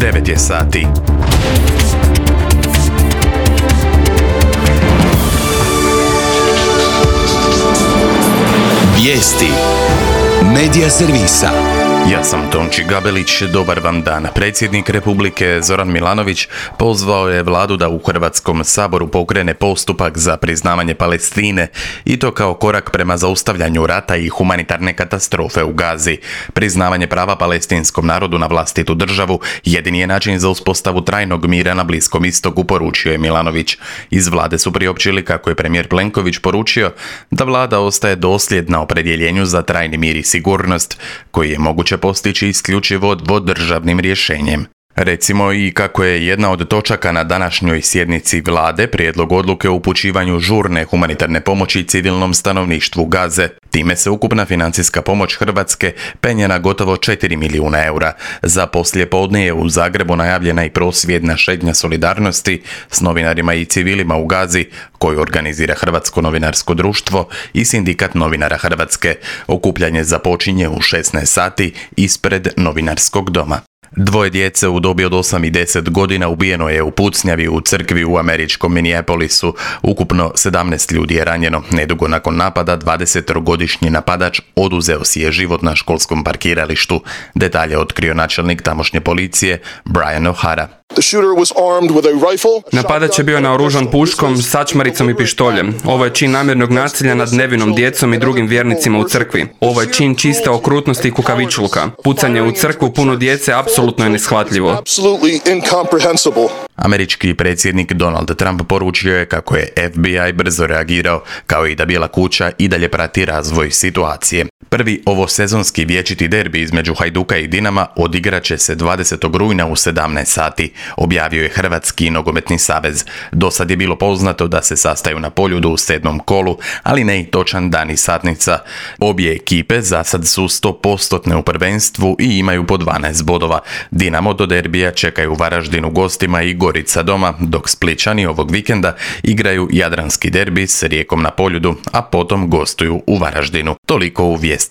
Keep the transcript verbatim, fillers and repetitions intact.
devet je sati. Vijesti Medija servisa. Ja sam Tonči Gabelić, dobar vam dan. Predsjednik Republike Zoran Milanović pozvao je vladu da u Hrvatskom saboru pokrene postupak za priznavanje Palestine i to kao korak prema zaustavljanju rata i humanitarne katastrofe u Gazi. Priznavanje prava palestinskom narodu na vlastitu državu jedini je način za uspostavu trajnog mira na Bliskom istoku, poručio je Milanović. Iz vlade su priopćili kako je premijer Plenković poručio da vlada ostaje dosljedna opredjeljenju za trajni mir i sigurnost koji je moguće postići isključivo dvodržavnim rješenjem. Recimo i kako je jedna od točaka na današnjoj sjednici vlade prijedlog odluke o upućivanju žurne humanitarne pomoći civilnom stanovništvu Gaze. Time se ukupna financijska pomoć Hrvatske penje na gotovo četiri milijuna eura. Za poslijepodne je u Zagrebu najavljena i prosvjedna šetnja solidarnosti s novinarima i civilima u Gazi, koju organizira Hrvatsko novinarsko društvo i Sindikat novinara Hrvatske. Okupljanje započinje u šesnaest sati ispred Novinarskog doma. Dvoje djece u dobi od osam i deset godina ubijeno je u pucnjavi u crkvi u američkom Minneapolisu. Ukupno sedamnaest ljudi je ranjeno. Nedugo nakon napada dvadesetogodišnji napadač oduzeo si je život na školskom parkiralištu. Detalje otkrio načelnik tamošnje policije Brian O'Hara. Napadač je bio naoružan puškom, sačmaricom i pištoljem. Ovo je čin namjernog nasilja nad nevinom djecom i drugim vjernicima u crkvi. Ovo je čin čiste okrutnosti i kukavičluka. Pucanje u crkvu puno djece apsolutno je neshvatljivo. Američki predsjednik Donald Trump poručio je kako je F B I brzo reagirao, kao i da Bijela kuća i dalje prati razvoj situacije. Prvi ovosezonski vječiti derbi između Hajduka i Dinama odigrat će se dvadesetog rujna u sedamnaest sati, objavio je Hrvatski nogometni savez. Do sad je bilo poznato da se sastaju na Poljudu u sedmom kolu, ali ne i točan dan i satnica. Obje ekipe za sad su sto posto u prvenstvu i imaju po dvanaest bodova. Dinamo do derbija čekaju Varaždin u gostima i Gorica doma, dok Splićani ovog vikenda igraju jadranski derbi s Rijekom na Poljudu, a potom gostuju u Varaždinu. Toliko u vijestima.